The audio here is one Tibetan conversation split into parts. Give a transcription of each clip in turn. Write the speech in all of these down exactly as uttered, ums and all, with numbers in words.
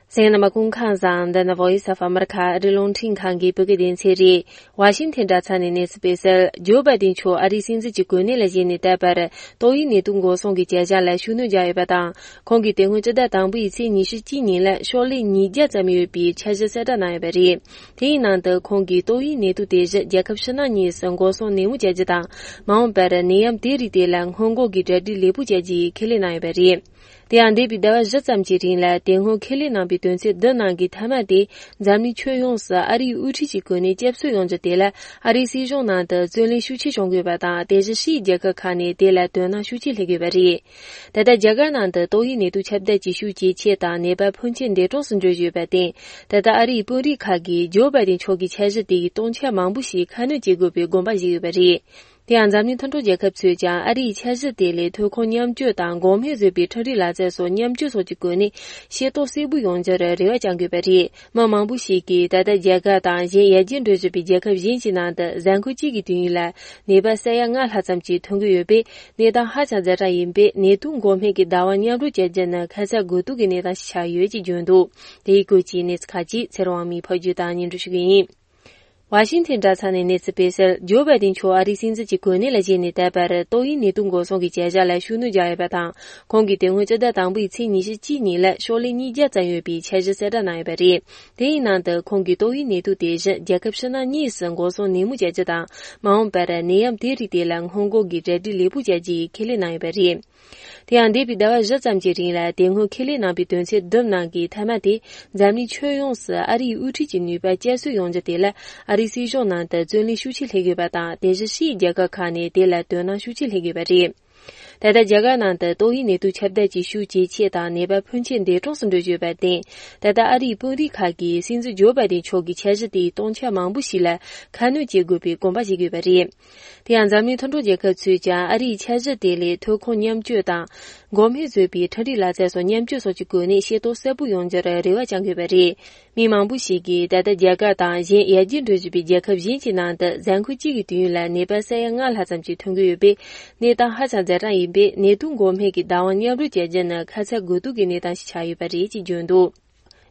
གསན་མཁན་རྣམ་པ་སྐུ་ཁམས་བཟང་། འདི་ནི་Voice of America ཨ་རིའི་རླུང་འཕྲིན་ཁང་གི་བོད་སྐད་སྡེ་ཚན་རེད། ཝ་ཤིང་ཐན་དྲ་ཚགས་ནས་གནས་ཚུལ་སྤེལ་གསལ། ཇོ་བྷའི་ཏིན་མཆོག་ཨ་རིའི་སྲིད་འཛིན་གྱི་གོ་གནས་ལ་བཞེས་ནས་ད་བར་ཏོག་དབྱིབས་ནད་དུག་འགོག་སྲུང་གི་བྱ་གཞག་ལ་ཤུགས་སྣོན་བརྒྱབ་ཡོད་པ་དང་། ཁོང་གིས་དེ་སྔོན་སྤྱི་ཟླ་དང་པོའི་ཚེས་ཉི་ཤུ་གཅིག་ཉིན་ལ་ཤོག་ལྷེ་ཉིས་བརྒྱ་ཙམ་ཡོད་པའི་འཆར་གཞི་གསལ་བསྒྲགས་གནང་ཡོད་པ་རེད། དེའི་ནང་དུ་ཁོང་གིས་ཏོག་དབྱིབས་ནད་དུག་དེ་བཞིན་རྒྱལ་ཁབ་ཕྱི་ནང་གཉིས་སུ་འགོག་སྲུང་ནན་མོ་བྱ་རྒྱུ་དང་། མ་འོངས་པར་ནད་ཡམས་དེ་རིགས་དེ་ལ་སྔོན་འགོག་གི་གྲ་སྒྲིག་ལེགས་པོ་བྱ་རྒྱུའི་ཁས་ལེན་གནང་ཡོད་པ་རེད། དེ་ཡང་འདས་པའི་ཟླ་བ་བཞི་ཙམ་གྱི་རིང་ལ་དེ་སྔོན་ཁས་ལེན་གནང་པའི་དོན་ཚན་བདུན་ནང་གི་མཐའ་མ་དེ་འཛམ་གླིང་ཁྱོན་ཡོངས་སུ་ཨ་རིའི་དབུ་ཁྲིད་ཀྱི་གོ་གནས་བསྐྱར་གསོ་ཡོང་རྒྱུ་དེ་ལ་ཨ་རིའི་སྲིད་གཞུང་ནང་དུ་བརྩོན་ལེན་ཤུགས་ཆེ་བྱུང་དགོས་པ་དང་། དེ་བཞིན་ཕྱིའི་རྒྱལ་ཁབ་ཁག་ནས་དེ་ལ་དོ་སྣང་ཤུགས་ཆེ་སླེབས་དགོས་པ་རེད། ད་ལྟ་རྒྱ་གར་ནང་དུ་ཏོག་དབྱིབས་ནད་དུག་ཁྱབ་གདལ་གྱི་ཤུགས་ཇེ་ཆེ་དང་ནད་པ་ཕོན་ཆེ་འདས་གྲོངས་སུ་འགྲོ་བཞིན་ཡོད་པར་བརྟེན། ད་ལྟ་ཨ་རིའི་དཔོན་རིགས་ཁག་གིས་ཇོ་བྷའི་ཏིན་མཆོག་གི་འཆར་གཞི་དེ་ཡི་སྟོང་ཆ་མང་པོ་ཞིག་ཁ་སྣོན་བྱེད་དགོས་པའི་དགོངས་པ་བཞེས་ཡོད་པ་རེད། དེ་ཡང་འཛམ་གླིང་མཐུན་གྲོགས་རྒྱལ་ཁབ་ཚོས་ཀྱང་ཨ་རིའི་འཆར་གཞི་དེ་ལས་ཐོན་ཁུངས་མཉམ་སྤྱོད་དང་འགོག་སྨན་བཟོས་པའི་འཕྲུལ་རིག་ལག་རྩལ་སོགས་མཉམ་སྤྱོད་སོགས་ཀྱི་སྒོ་ནས་ཤེས་རྟོགས་གསལ་པོ་ཡོང་རྒྱུར་རེ་བ་བཅང་དགོས་པ་རེད། མི་མང་པོ་ཞིག་གིས་ད་ལྟ་རྒྱ་གར་དང་གཞན་ཡར་རྒྱས་འགྲོ་བཞིན་པའི་རྒྱལ་ཁབ་གཞན་གྱི་ནང་དུ་གཟའ་འཁོར་གཅིག་གི་དུས་ཡུན་ལ་ནད་པ་ས་ཡ་ལྔ་ལྷག་ཙམ་ཞིག་ཐོན་གྱི་ཡོད་པས། གནས་སྟངས་ཧ་ཅང་ཛ་དྲག་ཡིན་པས། ནད་དུག་འགོག་སྨན་གྱི་བདག་དབང་མཉམ་རུབ་བྱ་རྒྱུ་ནི་ཁ་ཚ་དགོས་གཏུགས་ཀྱི་གནས་སྟངས་ཤིག་ཆགས་ཡོད་ཅེས་བརྗོད་འདུག་དེའི་སྐོར་གྱི་གནས་ཚུལ་ཁག་ཅིག་ཚེ་རིང་དབང་མོས་ཕབ་སྒྱུར་དང་སྙན་སྒྲོན་ཞུ་གི་ཡིན། ཝ་ཤིང་ཐན་དྲ་ཚགས་ནས་གནས་ཚུལ་སྤེལ་གསལ། ཇོ་བྷའི་ཏིན་མཆོག་ཨ་རིའི་སྲིད་འཛིན་གྱི་གོ་གནས་ལ་བཞེས་ནས་ད་བར་ཏོག་དབྱིབས་ནད་དུག་འགོག་སྲུང་གི་བྱ་གཞག་ལ་ཤུགས་སྣོན་བརྒྱབ་ཡོད་པ་དང་། ཁོང་གིས་དེ་སྔོན་སྤྱི་ཟླ་དང་པོའི་ཚེས་ཉི་ཤུ་གཅིག་ཉིན་ལ་ཤོག་ལྷེ་ཉིས་བརྒྱ་ཙམ་ཡོད་པའི་འཆར་གཞི་གསལ་བསྒྲགས་གནང་ཡོད་པ་རེད། དེའི་ནང་དུ་ཁོང་གིས་ཏོག་དབྱིབས་ནད་དུག་དེ་བཞིན་རྒྱལ་ཁབ་ཕྱི་ནང་གཉིས་སུ་འགོག་སྲུང་ནན་མོ་བྱ་རྒྱུ་དང་། མ་འོངས་པར་ནད་ཡམས་དེ་རིགས་དེ་ལ་སྔོན་འགོག་གི་གྲ་སྒྲིག་ལེགས་པོ་བྱ་རྒྱུའི་ཁས་ལེན་གནང་ཡོད་པ་རེད། དེ་ཡང་འདས་པའི་ཟླ་བ་བཞི་ཙམ་གྱི་རིང་ལ་དེ་སྔོན་ཁས་ལེན་གནང་པའི་དོན་ཚན་བདུན་ནང་གི་མཐའ་མ་དེ་འཛམ་གླིང་ཁྱོན་ཡོངས་སུ་ཨ་རིའི་དབུ་ཁྲིད་ཀྱི་ནུས་པ་བསྐྱར་གསོ་ཡོང་རྒྱུ་དེ་ལ་ཨ་རིའི་སྲིད་གཞུང་ནང་དུ་བརྩོན་ལེན་ཤུགས་ཆེ་སླེབས་དགོས་པ་དང་། དེ་བཞིན་ཕྱིའི་རྒྱལ་ཁབ་ཁག་ནས་དེ་ལ་དོ་སྣང་ཤུགས་ཆེ་སླེབས་དགོས་པ་རེད། ད་ལྟ་རྒྱ་གར་ནང་དུ་ཏོག་དབྱིབས་ནད་དུག་ཁྱབ་གདལ་གྱི་ཤུགས་ཇེ་ཆེ་དང་ནད་པ་ཕོན་ཆེ་འདས་གྲོངས་སུ་འགྲོ་བཞིན་ཡོད་པར་བརྟེན། ད་ལྟ་ཨ་རིའི་དཔོན་རིགས་ཁག་གིས་སྲིད་འཛིན་ཇོ་བྷའི་ཏིན་མཆོག་གི་འཆར་གཞི་དེའི་སྟོང་ཆ་མང་པོ་ཞིག་ལ་ཁ་སྣོན་བྱེད་དགོས་པའི་དགོངས་པ་བཞེས་ཡོད་པ་རེད། དེ་ཡང་འཛམ་གླིང་མཐུན་གྲོགས་རྒྱལ་ཁབ་ཚོས་ཀྱང་ཨ་རིའི་འཆར་གཞི་དེ་ལས་ཐོན་ཁུངས་མཉམ་སྤྱོད་དང་། འགོག་སྨན་བཟོས་པའི་འཕྲུལ་རིག་ལག་རྩལ་སོགས་མཉམ་སྤྱོད་སོགས་ཀྱི་སྒོ་ནས་ཤེས་རྟོགས་གསལ་པོ་ཡོང་རྒྱུར་རེ་བ་བཅང་ཡོད་པ་རེད། མི་མང་པོ་ཞིག་གིས་ད་ལྟ་རྒྱ་གར་དང་གཞན་ཡར་རྒྱས་འགྲོ་བཞིན་པའི་རྒྱལ་ཁབ་གཞན་གྱི་ནང་དུ་གཟའ་འཁོར་གཅིག་གི་དུས་ཡུན་ལ་ནད་པ་ས་ཡ་ལྔ་ལྷག་ཙམ་ཞིག་ཐོན་གྱི་ཡོད་པས། གནས་སྟངས་ཧ་ཅང་ཛ་དྲག་ཡིན་པས། ནད་དུག་འགོག་སྨན་གྱི་བདག་དབང་མཉམ་རུབ་བྱ་རྒྱུ་ནི་ཁ་ཚ་དགོས་གཏུགས་ཀྱི་གནས་སྟངས་ཤིག་ཆགས་ཡོད་པ་རེད་ཅེས་བརྗོད་འདུག་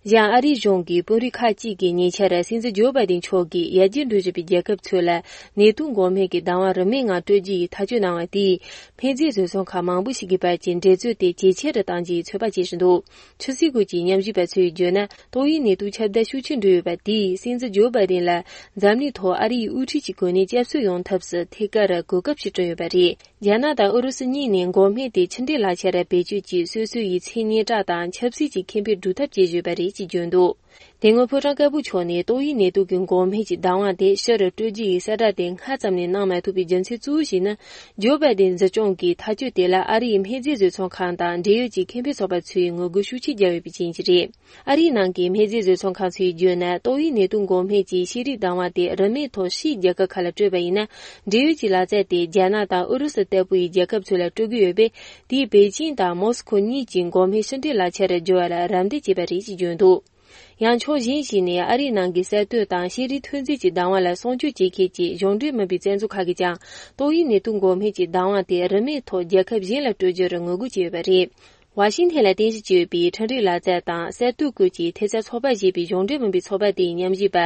གཞན་ཨ་རིའི་གཞུང་གི་དཔོན་རིགས་ཁག་ཅིག་གིས་ཉེ་ཆར་སྲིད་འཛིན་ཇོ་བྷའི་ཏིན་མཆོག་གིས་ཡར་རྒྱས་འགྲོ་བཞིན་པའི་རྒྱལ་ཁབ་ཚོ་ལ་ནད་དུག་འགོག་སྨན་གྱི་བདག་དབང་རིན་མེད་ངང་སྤྲོད་རྒྱུ་ཡི་ཐག་གཅོད་གནང་བ་དེས། སྨན་རྫས་བཟོ་ཚོང་ཁང་མང་པོ་ཞིག་གི་བར་གྱི་འགྲན་རྩོད་དེ་ཇེ་ཆེ་རུ་གཏང་རྒྱུའི་ཚོད་དཔག་བྱེད་བཞིན་འདུག་ཆུ་སྲིན་ཁུལ་གྱི་ཉམས་ཞིབ་པ་ཚོས་བརྗོད་ན། ཏོག་དབྱིབས་ནད་དུག་ཁྱབ་གདལ་ཤུགས་ཆེ་འགྲོ་ཡོད་པ་དེས་སྲིད་འཛིན་ཇོ་བྷའི་ཏིན་ལ་འཛམ་གླིང་ཐོག་ཨ་རིའི་དབུ་ཁྲིད་ཀྱི་གོ་གནས་བསྐྱར་གསོ་ཡོང་ཐབས་སུ་ཐད་ཀར་གོ་སྐབས་ཤིག་བསྐྲུན་ཡོད་པ་རེད། རྒྱ་ནག་དང་ཨུ་རུ་སུ་གཉིས་ནས་འགོག་སྨན་དེ་ཕྱི་འབྲེལ་ལག་ཆ་ར་བེད་སྤྱོད་ཀྱིས་སོ་སོ་ཡི་མཚན་སྙན་གྲགས་དང་ཆབ་སྲིད་ཀྱི་ཁེ་ཕན་སྒྲུབ་ཐབས་བྱེད་བཞིན་པ་རེད་ཅེས་བརྗོད་འདུག་དེ་སྔོན་ཕོ་བྲང་དཀར་པོ་ཕྱོགས་ནས་ཏོག་དབྱིབས་ནད་དུག་གི་འགོག་སྨན་གྱི་བདག་དབང་དེ་ཕྱི་རུ་སྤྲོད་རྒྱུ་ཡི་གསལ་བསྒྲགས་དེ་སྔ་ཙམ་ནས་གནང་མ་ཐུབ་པའི་རྒྱུ་མཚན་གཙོ་བོ་ཞིག་ནི། ཇོ་བྷའི་ཏིན་སྲིད་སྐྱོང་གིས་ཐག་གཅོད་དེ་ལ་ཨ་རིའི་སྨན་རྫས་བཟོ་ཚོང་ཁང་དང་འབྲེལ་ཡོད་ཀྱི་ཁེ་ཕན་ཚོགས་པ་ཚོས་ངོ་རྒོལ་ཤུགས་ཆེ་བརྒྱབ་ཡོད་པའི་རྐྱེན་གྱིས་རེད། ཨ་རིའི་ནང་གི་སྨན་རྫས་བཟོ་ཚོང་ཁང་ཚོས་བརྗོད་ན། ཏོག་དབྱིབས་ནད་དུག་འགོག་སྨན་གྱི་ཤེས་རིག་བདག་དབང་དེ་རིན་མེད་ཐོག་ཕྱིའི་རྒྱལ་ཁབ་ཁག་ལ་སྤྲོད་པ་ཡིན་ན། འབྲེལ་ཡོད་ཀྱི་ལག་རྩལ་དེ་རྒྱ་ནག་དང་ཨུ་རུ་སུ་ལྟ་བུའི་རྒྱལ་ཁབ་ཚོ་ལ་སྤྲོད་ཀྱི་ཡོད་པས། དེས་པེ་ཅིང་དང་མོ་སི་ཁོ་གཉིས་ཀྱི་འགོག་སྨན་ཕྱི་འབྲེལ་ལག་ཆར་འགྱུར་བ་ལ་རམ་འདེགས་བྱས་པ་རེད་ཅེས་བརྗོད་འདུག་ཡང་ཕྱོགས་གཞན་ཞིག་ནས་ཨ་རིའི་ནང་གི་གསར་གཏོད་དང་ཤེས་རིག་ཐོན་རྫས་ཀྱི་བདག་དབང་ལ་སྲུང་སྐྱོབ་བྱེད་མཁན་གྱི་གཞུང་འབྲེལ་མིན་པའི་བཙན་འཛུལ་ཁག་གིས་ཀྱང་ཏོག་དབྱིབས་ནད་དུག་འགོག་སྨན་གྱི་བདག་དབང་དེ་རིན་མེད་ཐོག་རྒྱལ་ཁབ་གཞན་ལ་སྤྲོད་རྒྱུར་ངོ་རྒོལ་བྱས་ཡོད་པ་རེད། ཝ་ཤིང་ཐན་ལ་རྟེན་གཞི་བྱས་ཡོད་པའི་འཕྲུལ་རིག་ལག་རྩལ་དང་གསར་གཏོད་སྐོར་གྱི་ཐེབས་རྩ་ཚོགས་པ་ཞེས་པའི་གཞུང་འབྲེལ་མིན་པའི་ཚོགས་པ་དེའི་ཉམས་ཞིབ་པ་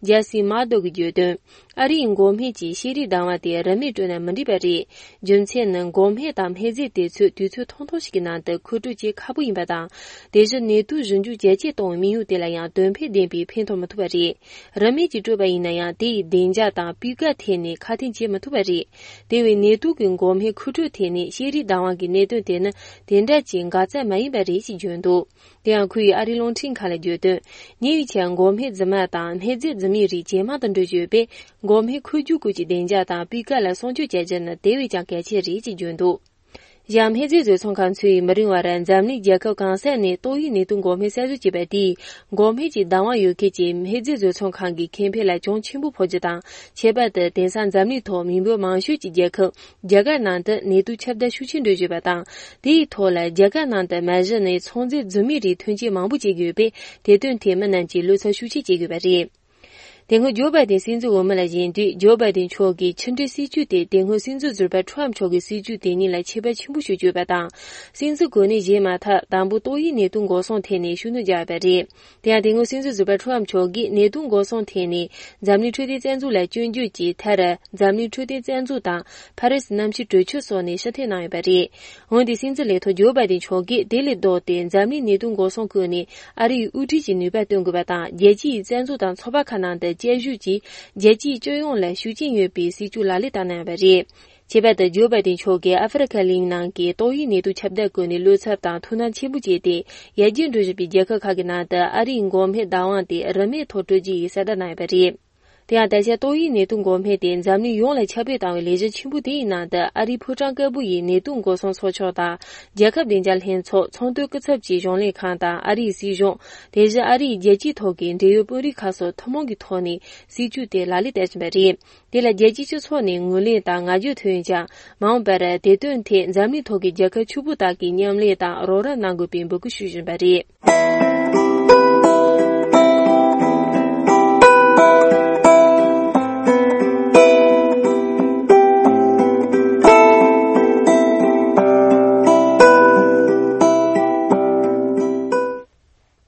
ཇེ་སི་མར་དོ་གིས་བརྗོད་དོན། ཨ་རིའི་འགོག་སྨན་གྱི་ཤེས་རིག་བདག་དབང་དེ་རིན་མེད་སྤྲོད་ན་མི་འགྲིག་པ་རེད། རྒྱུ་མཚན་ནི་འགོག་སྨན་དང་སྨན་རྫས་དེ་ཚོ་དུས་ཚོད་ཐུང་ཐུང་ཞིག་གི་ནང་དུ་མཁོ་སྤྲོད་བྱེད་ཁག་པོ་ཡིན་པ་དང་། དེ་བཞིན་ནད་དུག་ཞིབ་འཇུག་རྒྱ་སྐྱེད་གཏོང་བའི་དམིགས་ཡུལ་དེ་ལ་ཡང་དོན་ཕན་ལྡན་པའི་ཕན་ཐོགས་མི་ཐུབ་པ་རེད། རིན་མེད་ཀྱིས་སྤྲོད་པ་ཡིན་ན་ཡང་། དེ་ཡི་བདེ་འཇགས་དང་སྤུས་ཀ་ཐད་ནས་ཁག་ཐེག་བྱེད་མི་ཐུབ་པ་རེད། དེ་བས་ནད་དུག་གི་འགོག་སྨན་མཁོ་སྤྲོད་ཐད་ནས་ཤེས་རིག་བདག་དབང་གི་གནད་དོན་དེ་ནི་དེ་འདྲ་ཅིག་འགག་རྩ་མ་ཡིན་པ་རེད་ཅེས་བརྗོད་འདུག་དེ་ཡང་ཁོ་ཡིས་ཨ་རིའི་རླུང་འཕྲིན་ཁང་ལ་བརྗོད་དོན། ཉེ་བའི་ཆར་འགོག་སྨན་རྫུན་མ་དང་སྨན་རྫས་རྫུན་མའི་རིགས་ཇེ་མང་དུ་འགྲོ་བཞིན་ཡོད་པས། འགོག་སྨན་འཁོར་རྒྱུག་སྐོར་གྱི་བདེ་འཇགས་དང་སྤུས་ཀ་ལ་སྲུང་སྐྱོབ་བྱ་རྒྱུ་ནི་དེ་བས་ཀྱང་གལ་ཆེ་རེད་ཅེས་བརྗོད་འདུག་གཞན་སྨན་རྫས་བཟོ་ཚོང་ཁང་ཚོས་མི་རིང་བར་འཛམ་གླིང་རྒྱལ་ཁབ་གང་ས་ནས་ཏོག་དབྱིབས་ནད་དུག་འགོག་སྨན་གསར་བཟོ་བྱས་པ་དེས། འགོག་སྨན་གྱི་བདག་དབང་ཡོད་མཁན་གྱི་སྨན་རྫས་བཟོ་ཚོང་ཁང་གི་ཁེ་ཕན་ལ་གྱོང་ཆེན་པོ་ཕོག་རྒྱུ་དང་། ཁྱད་པར་དུ་དེང་སང་འཛམ་གླིང་ཐོག་མི་འབོར་མང་ཤོས་ཀྱི་རྒྱལ་ཁབ་རྒྱ་གར་ནང་དུ་ནད་དུག་ཁྱབ་གདལ་ཤུགས་ཆེན་འགྲོ་བཞིན་པ་དང་། དེའི་ཐོག་ལ་རྒྱ་གར་ནང་དུ་མ་གཞི་ནས་ཚོང་རྫས་རྫུན་མའི་རིགས་ཐོན་སྐྱེད་མང་པོ་བྱེད་ཀྱི་ཡོད་པས། དེ་དོན་ཐད་མི་རྣམས་ཀྱིས་བློ་འཚབ་ཤུགས་ཆེ་བྱེད་དགོས་པ་རེད། དེ་སྔོན་ཇོ་བྷའི་ཏིན་སྲིད་འཛིན་འོས་མི་ལ་བཞེངས་དུས། ཇོ་བྷའི་ཏིན་མཆོག་གིས་ཕྱི་འབྲེལ་སྲིད་ཇུས་དེ་དེ་སྔོན་སྲིད་འཛིན་ཟུར་པ་ཁྲོམ་མཆོག་གི་སྲིད་ཇུས་དེ་གཉིས་ལ་ཁྱད་པར་ཆེན་པོ་ཞིག་བརྗོད་པ་དང་། སྲིད་འཛིན་གོ་གནས་བཞེས་མ་ཐག་དང་པོ་ཏོག་དབྱིབས་ནད་དུག་འགོག་སྲུང་ཐད་ནས་ཤུགས་སྣོན་བརྒྱབ་པ་རེད། དེ་ཡང་དེ་སྔོན་སྲིད་འཛིན་ཟུར་པ་ཁྲོམ་མཆོག་གིས་ནད་དུག་འགོག་སྲུང་ཐད་ནས་འཛམ་གླིང་འཕྲོད་བསྟེན་རྩ་འཛུགས་ལ་སྐྱོན་བརྗོད་ཀྱིས། མཐར་འཛམ་གླིང་འཕྲོད་བསྟེན་རྩ་འཛུགས་དང་ཕ་རི་སི་གནམ་གཤིས་གྲོས་ཆོད་སོགས་ནས་ཕྱིར་འཐེན་གནང་ཡོད་པ་རེད། འོན་ཏེ་སྲིད་འཛིན་ལས་ཐོག་ཇོ་བྷའི་ཏིན་མཆོག་གིས་དེ་ལས་ལྡོག་སྟེ་འཛམ་གླིང་ནད་དུག་འགོག་སྲུང་སྐོར་ནས་ཨ་རིའི་དབུ་ཁྲིད་ཀྱི་ནུས་པ་སྟོན་དགོས་པ་དང་། རྒྱལ་སྤྱིའི་རྩ་འཛུགས་དང་ཚོགས་པ་ཁག་ནང་དུ་བཅའ་བཞུགས་ཀྱིས་རྒྱལ་སྤྱིའི་སྤྱི་ཡོངས་ལ་ཤུགས་རྐྱེན་ཡོད་པའི་སྲིད་ཇུས་ལག་ལེན་བསྟར་གནང་ཡོད་པ་རེད། ཁྱད་པར་དུ་ཇོ་བྷའི་ཏིན་མཆོག་གིས་ཨ་ཧྥེ་རི་ཁ་གླིང་ནང་གི་ཏོག་དབྱིབས་ནད་དུག་ཁྱབ་གདལ་སྐོར་ནས་བློ་འཚབ་དང་ཐུགས་སྣང་ཆེན་པོ་བྱས་ཏེ། ཡར་རྒྱས་འགྲོ་བཞིན་པའི་རྒྱལ་ཁབ་ཁག་གི་ནང་དུ་ཨ་རིའི་འགོག་སྨན་བདག་དབང་དེ་རིན་མེད་ཐོག་སྤྲོད་རྒྱུ་ཡིན་གསལ་བསྒྲགས་གནང་ཡོད་པ་རེད། དེ་ཡང་ད་ཆ་ཏོག་དབྱིབས་ནད་དུག་འགོག་སྨན་དེ་འཛམ་གླིང་ཡོངས་ལ་ཁྱབ་སྤེལ་བཏང་བའི་ལས་གཞི་ཆེན་པོ་དེའི་ནང་དུ། ཨ་རིའི་ཕོ་བྲང་དཀར་པོ་ཡི་ནད་དུག་འགོག་སྲུང་ཚོགས་ཆུང་དང་། རྒྱལ་ཁབ་བདེ་འཇགས་ལྷན་ཚོགས། ཚོང་དོན་སྐུ་ཚབ་ཀྱི་གཞུང་ལས་ཁང་དང་ཨ་རིའི་སྲིད་གཞུང་། དེ་བཞིན་ཨ་རིའི་རྒྱལ་སྤྱིའི་ཐོག་གི་འབྲེལ་ཡོད་དཔོན་རིགས་ཁག་སོགས་ཐུན་མོང་གི་ཐོག་ནས་སྲིད་ཇུས་དེ་ལག་ལེན་བསྟར་བཞིན་པ་རེད། དེ་ལ་རྒྱལ་སྤྱིའི་སྤྱི་ཚོགས་ནས་ངོས་ལེན་དང་བསྔགས་བརྗོད་ཐོན་ཡོད་ཀྱང་། མ་འོངས་པར་དེ་དོན་ཐད་འཛམ་གླིང་ཐོག་གི་རྒྱལ་ཁབ་ཕྱུག་པོ་དག་གིས་མཉམ་ལས་དང་རོགས་རམ་གནང་དགོས་པའི་འབོད་སྐུལ་ཞུ་བཞིན་པ་རེད།